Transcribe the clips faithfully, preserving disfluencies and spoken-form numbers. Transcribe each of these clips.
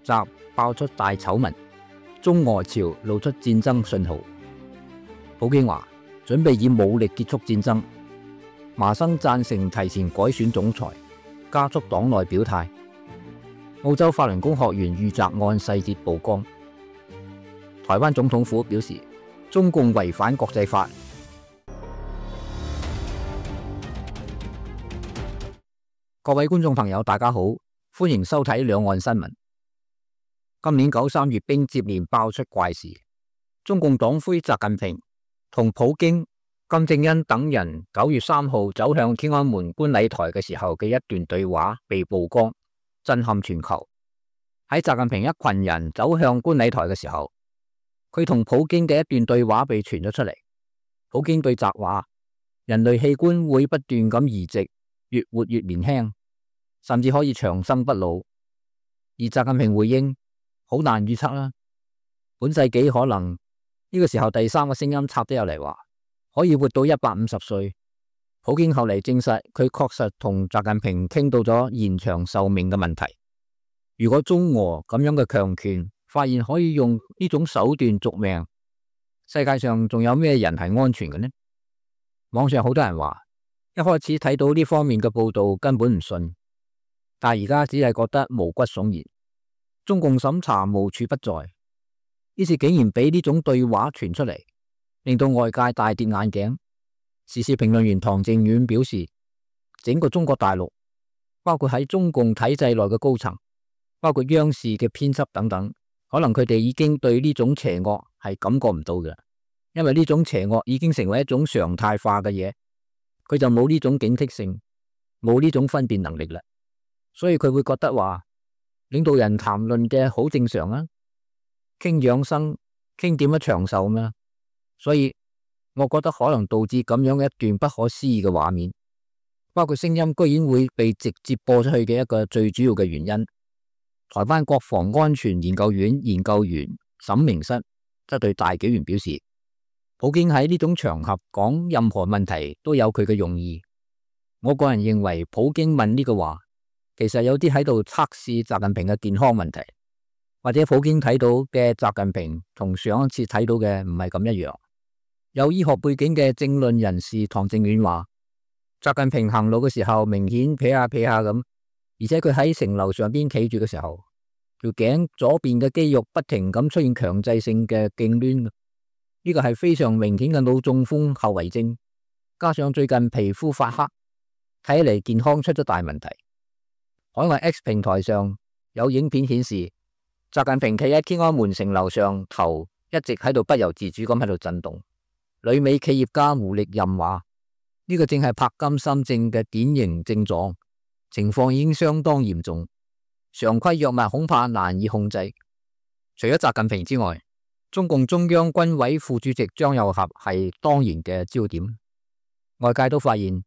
習爆出大醜聞，中俄朝露出戰爭信號。普京話準備以武力結束戰爭。麻生贊成提前改選總裁，加速黨內表態。澳洲法輪功學員遇襲案細節曝光。台灣總統府表示，中共違反國際法。各位觀眾朋友，大家好，歡迎收睇兩岸新聞。今年九三閱兵接連爆出怪事，中共黨魁習近平同普京、金正恩等人九月三號走向天安門觀禮台嘅時候嘅一段對話被曝光，震撼全球。喺習近平一群人走向觀禮台嘅時候，佢同普京嘅一段對話被傳咗出嚟。普京對習話：人類器官會不斷咁移植，越活越年輕，甚至可以長生不老。而習近平回應：好難預測啦，本世紀可能。呢個時候第三個聲音插咗入嚟話，可以活到一百五十歲。普京後嚟證實，佢確實同習近平傾到咗延長壽命嘅問題。如果中俄咁樣嘅強權發現可以用呢種手段續命，世界上仲有咩人係安全嘅呢？網上好多人話，一開始睇到呢方面嘅報道根本唔信，但係而家只係覺得毛骨悚然。中共審查無處不在，呢次竟然俾呢種對話傳出嚟，令到外界大跌眼鏡。時事評論員唐靖遠表示，整個中國大陸，包括喺中共體制內嘅高層，包括央視嘅編輯等等，可能佢哋已經對呢種邪惡係感覺唔到嘅，因為呢種邪惡已經成為一種常態化嘅嘢，佢就冇呢種警惕性，冇呢種分辨能力啦，所以佢會覺得話，領導人談論嘅好正常啊，傾養生，傾點樣長壽嘛，所以我覺得可能導致咁樣嘅一段不可思議嘅畫面，包括聲音居然會被直接播出去嘅一個最主要嘅原因。台灣國防安全研究院研究員沈明室則對大紀元表示，普京喺呢種場合講任何問題都有佢嘅用意。我個人認為普京問呢個話，其實有啲喺度測試習近平嘅健康問題，或者普京睇到嘅習近平同上一次睇到嘅唔係咁一樣。有醫學背景嘅政論人士唐正遠話，習近平行路嘅時候明顯撇下撇下咁，而且佢喺城樓上邊企住嘅時候，條頸左邊嘅肌肉不停咁出現強制性嘅痙攣，呢個係非常明顯嘅腦中風後遺症，加上最近皮膚發黑，睇嚟健康出咗大問題。海外 X 平台上有影片顯示，習近平企喺天安門城樓上，頭一直喺度不由自主咁喺度震動。旅美企業家胡力任話，呢個正係柏金森症嘅典型症狀，情況已經相當嚴重，常規藥物恐怕難以控制。除咗習近平之外，中共中央軍委副主席張又俠係當然嘅焦點。外界都發現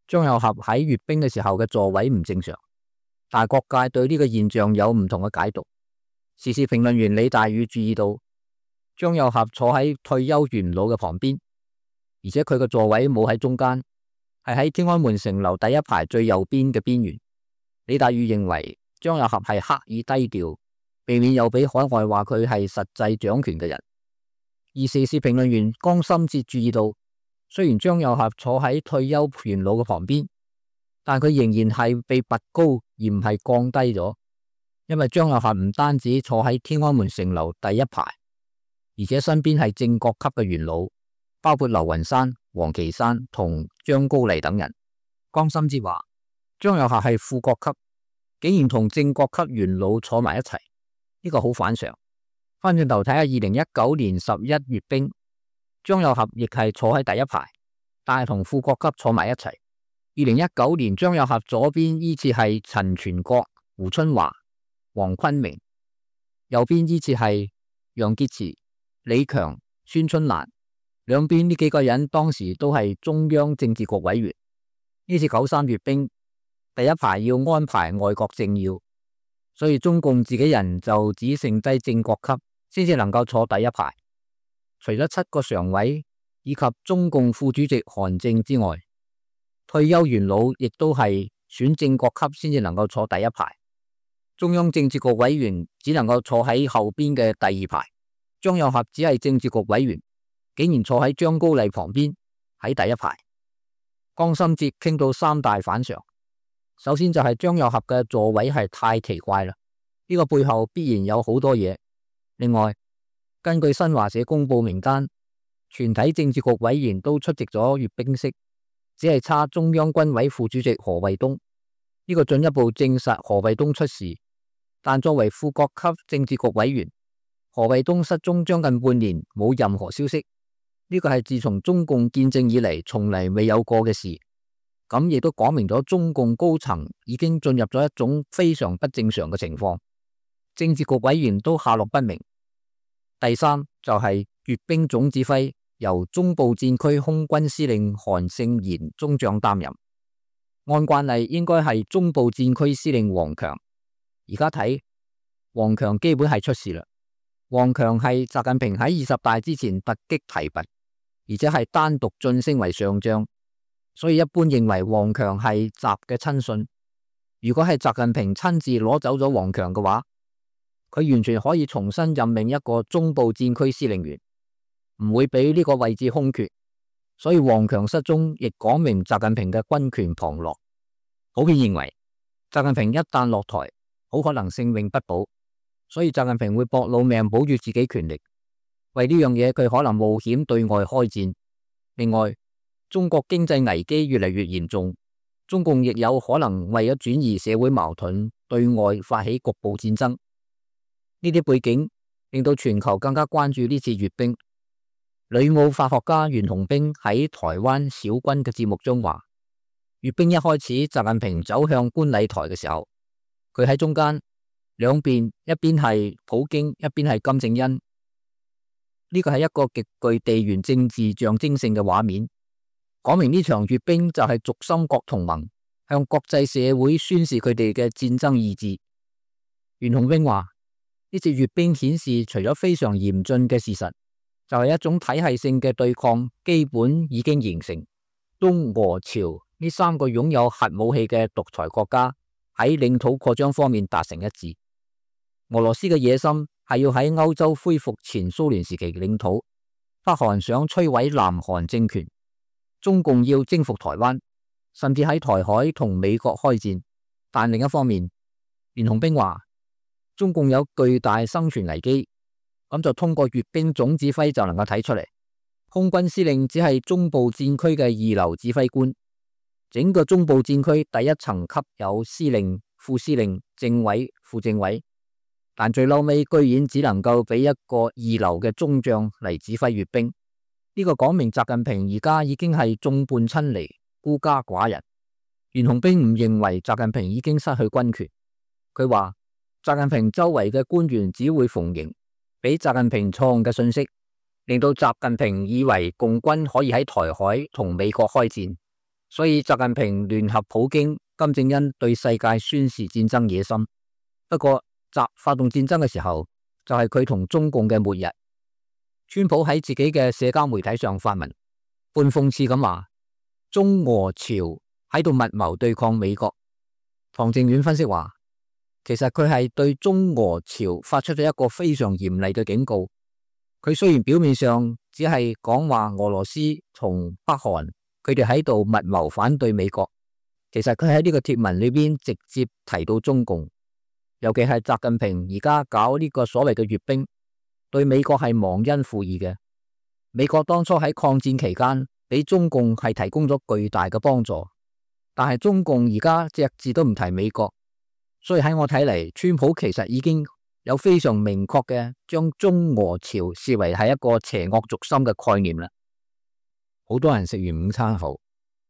張又俠喺閱兵嘅時候嘅座位唔正常，但係各界對呢個現象有唔同嘅解讀。時事評論員李大宇注意到，張又俠坐喺退休元老嘅旁邊，而且佢嘅座位冇喺中間，係喺天安門城樓第一排最右邊嘅邊緣。李大宇認為張又俠係刻意低調，避免又俾海外話佢係實際掌權嘅人。而時事評論員江心哲注意到，雖然張又俠坐喺退休元老嘅旁邊，但佢仍然係被拔高而唔係降低咗，因為張又俠唔單止坐喺天安門城樓第一排，而且身邊係正國級嘅元老，包括劉雲山、王岐山同張高麗等人。江心哲話，張又俠係副國級，竟然同正國級元老坐埋一齊，呢個好反常。翻轉頭睇下二零一九年十一閱兵，張又俠亦係坐喺第一排，但係同副國級坐埋一齊。二零一九年張又俠左邊依次係陳全國、胡春華、黃坤明，右邊依次係楊潔篪、李強、孫春蘭，兩邊呢幾個人當時都係中央政治局委員。呢次九三閱兵，第一排要安排外國政要，所以中共自己人就只剩低正國級先至能夠坐第一排。除咗七個常委以及中共副主席韓正之外，退休元老亦都係選正國級先至能夠坐第一排。中央政治局委員只能夠坐喺後邊嘅第二排，張又俠只係政治局委員，竟然坐喺張高麗旁邊喺第一排。江心哲傾到三大反常，首先就係張又俠嘅座位係太奇怪啦，呢個背後必然有好多嘢。另外，根據新華社公布名單，全體政治局委員都出席咗閱兵式，只係差中央軍委副主席何衛東。呢個進一步證實何衛東出事，但作為副國級政治局委員，何衛東失蹤將近半年冇任何消息，呢個係自從中共建政以嚟從嚟未有過嘅事。咁亦都講明咗中共高層已經進入咗一種非常不正常嘅情況，政治局委員都下落不明。第三就係閱兵總指揮由中部戰區空軍司令韓勝賢中將擔任，按慣例應該係中部戰區司令王強。而家睇王強基本係出事啦。王強係習近平喺二十大之前突擊提拔，而且係單獨晉升為上將，所以一般認為王強係習嘅親信。如果係習近平親自攞走咗王強嘅話，佢完全可以重新任命一個中部戰區司令員，唔會俾呢個位置空缺。所以王強失蹤亦講明習近平嘅軍權旁落。普遍認為習近平一旦落台，好可能性命不保，所以習近平會搏老命保住自己權力。為呢樣嘢，佢可能冒險對外開戰。另外，中國經濟危機越嚟越嚴重，中共亦有可能為咗轉移社會矛盾，對外發起局部戰爭。呢啲背景令到全球更加關注呢次閱兵。旅澳法學家袁洪兵喺台灣小軍嘅節目中話，閱兵一開始，習近平走向觀禮台嘅時候，佢喺中間，兩邊一邊係普京，一邊係金正恩。呢個係一個極具地緣政治象徵性嘅畫面，講明呢場閱兵就係軸心國同盟向國際社會宣示佢哋嘅戰爭意志。袁洪兵話，呢次閱兵顯示，除咗非常嚴峻嘅事實，就係一種體系性嘅對抗基本已經形成。中俄朝呢三個擁有核武器嘅獨裁國家喺領土擴張方面達成一致。俄羅斯嘅野心係要喺歐洲恢復前蘇聯時期嘅領土，北韓想摧毀南韓政權，中共要征服台灣，甚至喺台海同美國開戰。但另一方面，袁洪兵話，中共有巨大生存危機，咁就通過閱兵總指揮就能夠睇出嚟。空軍司令只係中部戰區嘅二流指揮官，整個中部戰區第一層級有司令、副司令、政委、副政委，但最嬲尾居然只能夠俾一個二流嘅中將嚟指揮閱兵。呢個講明習近平而家已經係眾叛親離、孤家寡人。袁洪兵唔認為習近平已經失去軍權，佢話習近平周圍嘅官員只會逢迎，俾習近平錯誤嘅信息，令到習近平以為共軍可以喺台海同美國開戰，所以習近平聯合普京、金正恩對世界宣示戰爭野心。不過習發動戰爭嘅時候，就係佢同中共嘅末日。川普喺自己嘅社交媒體上發文，半諷刺咁話，中俄朝喺度密謀對抗美國。唐正遠分析話，其實佢係對中俄朝發出咗一個非常嚴厲嘅警告。佢雖然表面上只係講話俄羅斯同北韓佢哋喺度密謀反對美國，其實佢喺呢個貼文裏邊直接提到中共，尤其係習近平而家搞呢個所謂嘅閱兵，對美國係忘恩負義嘅。美國當初喺抗戰期間俾中共係提供咗巨大嘅幫助，但係中共而家隻字都唔提美國，所以喺我睇嚟，川普其實已經有非常明確嘅將中俄朝視為係一個邪惡軸心嘅概念啦。好多人食完午餐後，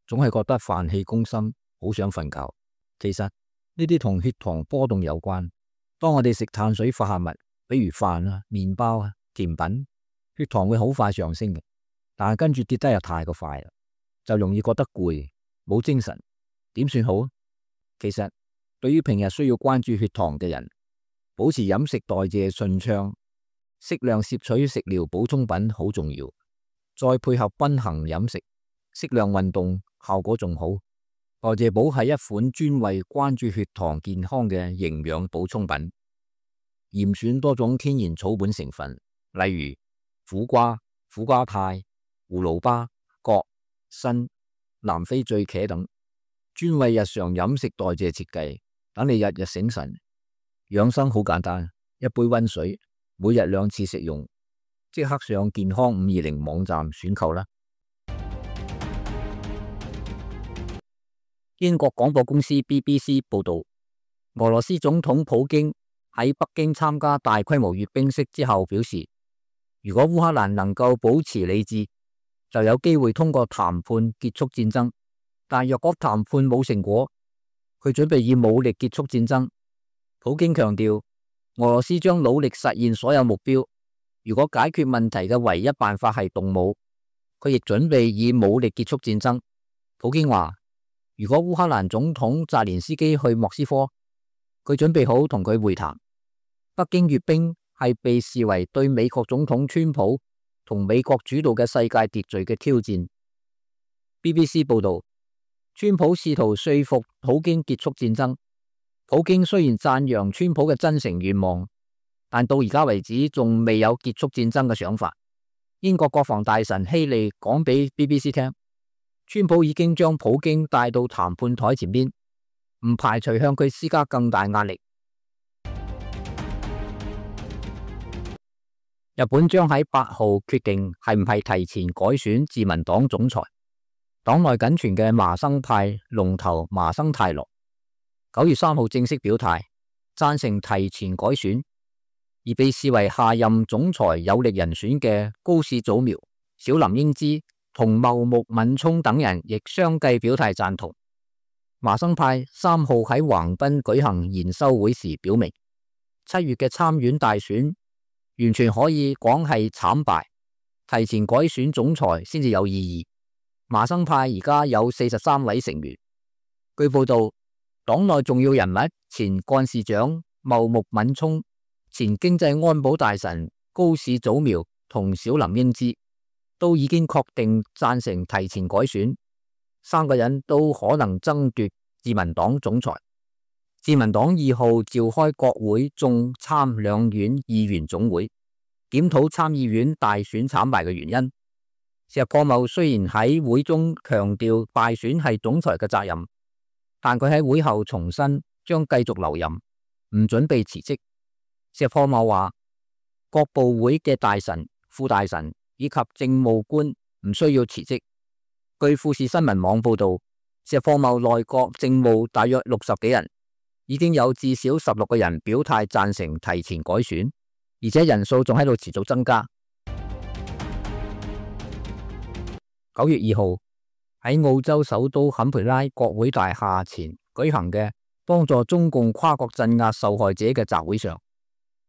總係覺得飯氣攻心，好想瞓覺。其實呢啲同血糖波動有關。當我哋食碳水化合物，比如飯啊、麵包啊、甜品，血糖會好快上升嘅，但係跟住跌得又太過快啦，就容易覺得攰，冇精神。點算好？其實對於平日需要關注血糖嘅人，保持飲食代謝順暢，適量攝取食療補充品好重要，再配合均衡飲食，適量運動，效果仲好。代謝寶係一款專為關注血糖健康嘅營養補充品，嚴選多種天然草本成分，例如苦瓜、苦瓜肽、葫蘆巴、葛、參、南非醉茄等，專為日常飲食代謝設計，等你日日醒神。養生好簡單，一杯溫水，每日兩次食用，即刻上健康五二零網站選購啦。英國廣播公司 B B C 報道，俄羅斯總統普京喺北京參加大規模閱兵式之後表示，如果烏克蘭能夠保持理智，就有機會通過談判結束戰爭。但若果談判冇成果，佢準備以武力結束戰爭。普京強調，俄羅斯將努力實現所有目標。如果解決問題嘅唯一辦法係動武，佢亦準備以武力結束戰爭。普京話，如果烏克蘭總統澤連斯基去莫斯科，佢準備好同佢會談。北京閱兵係被視為對美國總統川普同美國主導嘅世界秩序嘅挑戰。B B C 報道，川普試圖說服普京結束戰爭。普京雖然讚揚川普嘅真誠願望，但到而家為止仲未有結束戰爭嘅想法。英國國防大臣希利講俾 B B C 聽，川普已經將普京帶到談判台前邊，唔排除向佢施加更大壓力。日本將喺八號決定係唔係提前改選自民黨總裁。黨內僅存嘅麻生派龍頭麻生太郎九月三號正式表態，贊成提前改選，而被視為下任總裁有力人選嘅高市早苗、小林英之同茂木敏充等人亦相繼表態贊同。麻生派三號喺橫濱舉行研修會時表明，七月嘅參院大選完全可以講係慘敗，提前改選總裁先至有意義。麻生派而家有四十三位成員。據報道，黨內重要人物前幹事長茂木敏充、前經濟安保大臣高市早苗同小林英之都已經確定贊成提前改選，三個人都可能爭奪自民黨總裁。自民黨二號召開國會眾參兩院議員總會，檢討參議院大選慘敗嘅原因。石破茂雖然喺會中強調敗選係總裁嘅責任，但佢喺會後重申將繼續留任，唔準備辭職。石破茂話，各部會嘅大臣、副大臣以及政務官唔需要辭職。據富士新聞網報道，石破茂內閣政務大約六十幾人，已經有至少十六個人表態贊成提前改選，而且人數仲喺度持續增加。九月二號喺澳洲首都坎培拉國會大廈前舉行嘅幫助中共跨國鎮壓受害者嘅集會上，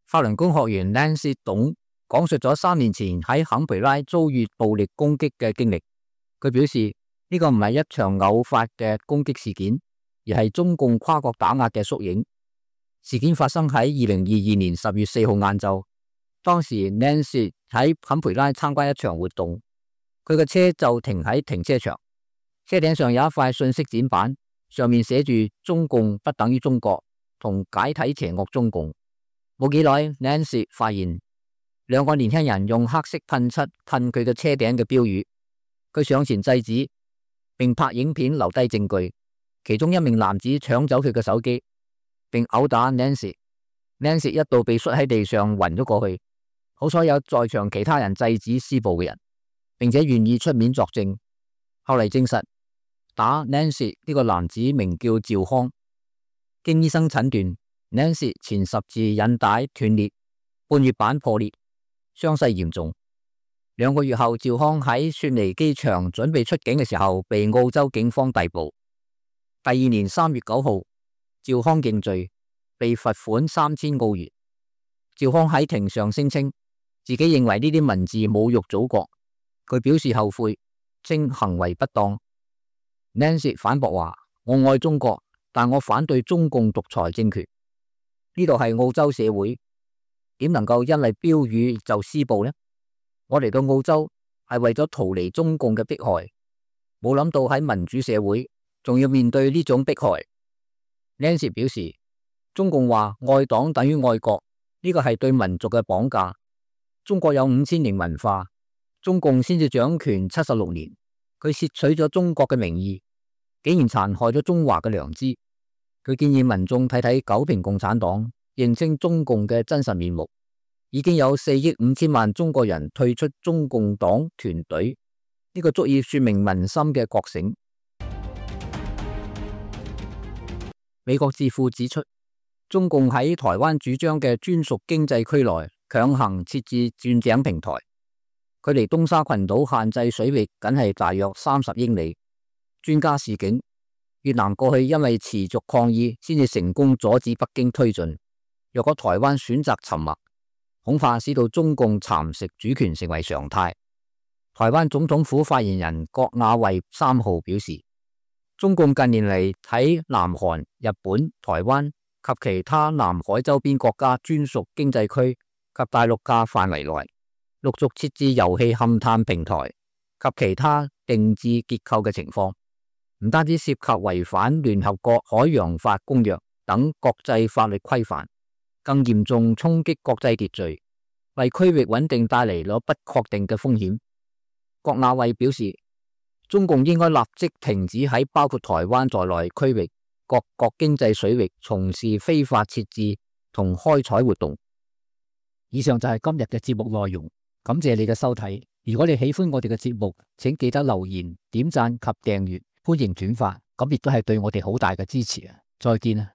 法輪功學員 Nancy 董講述咗三年前喺坎培拉遭遇暴力攻擊嘅經歷。佢表示呢個唔係一場偶發嘅攻擊事件，而係中共跨國打壓嘅縮影。事件發生喺二零二二年十月四號晏晝，當時 Nancy 喺坎培拉參加一場活動。佢嘅車就停喺停車場，車頂上有一塊信息展板，上面寫住中共不等於中國同解體邪惡中共。冇幾耐 Nancy 發現兩個年輕人用黑色噴漆噴佢嘅車頂嘅標語，佢上前制止並拍影片留低證據。其中一名男子搶走佢嘅手機並毆打 Nancy， Nancy 一度被摔喺地上暈咗過去，好彩有在場其他人制止施暴嘅人，並且願意出面作證。後嚟證實打 Nancy 呢個男子名叫趙康，經醫生診斷 Nancy 前十字韌帶斷裂，半月板破裂，傷勢嚴重。兩個月後，趙康喺雪梨機場準備出境嘅時候被澳洲警方逮捕。第二年三月九號，趙康認罪，被罰款三千澳元。趙康喺庭上聲稱自己認為呢啲文字侮辱祖國，佢表示後悔，稱行為不當。Nancy 反駁話：我愛中國，但我反對中共獨裁政權。呢度係澳洲社會，點能夠因為標語就施暴呢？我嚟到澳洲係為咗逃離中共嘅迫害，冇諗到喺民主社會仲要面對呢種迫害。Nancy 表示，中共話愛黨等於愛國，呢個係對民族嘅綁架。中國有五千年文化，中共先至掌權七十六年，佢竊取咗中國嘅名義，竟然殘害咗中華嘅良知。佢建議民眾睇睇九評共產黨，認清中共嘅真實面目。已經有四億五千萬中國人退出中共黨團隊，呢個足以說明民心嘅覺醒。美國智庫指出，中共喺台灣主張嘅專屬經濟區內強行設置鑽井平台，距離東沙群島限制水域僅係大約三十英里。專家示警，越南過去因為持續抗議，先至成功阻止北京推進。若果台灣選擇沉默，恐怕使到中共蠶食主權成為常態。台灣總統府發言人郭亞衛三號表示，中共近年嚟喺南韓、日本、台灣及其他南海周邊國家專屬經濟區及大陸架範圍內，陸續設置油氣勘探平台及其他定置結構嘅情況，唔單止涉及違反聯合國海洋法公約等國際法律規範，更嚴重衝擊國際秩序，為區域穩定帶嚟咗不確定嘅風險。郭亞衛表示，中共應該立即停止喺包括台灣在內區域各國經濟水域從事非法設置同開採活動。以上就係今日嘅節目內容，感謝你嘅收睇。如果你喜歡我哋嘅節目，請記得留言、點讚及訂閱，歡迎轉發，咁亦都係對我哋好大嘅支持啊！再見啊！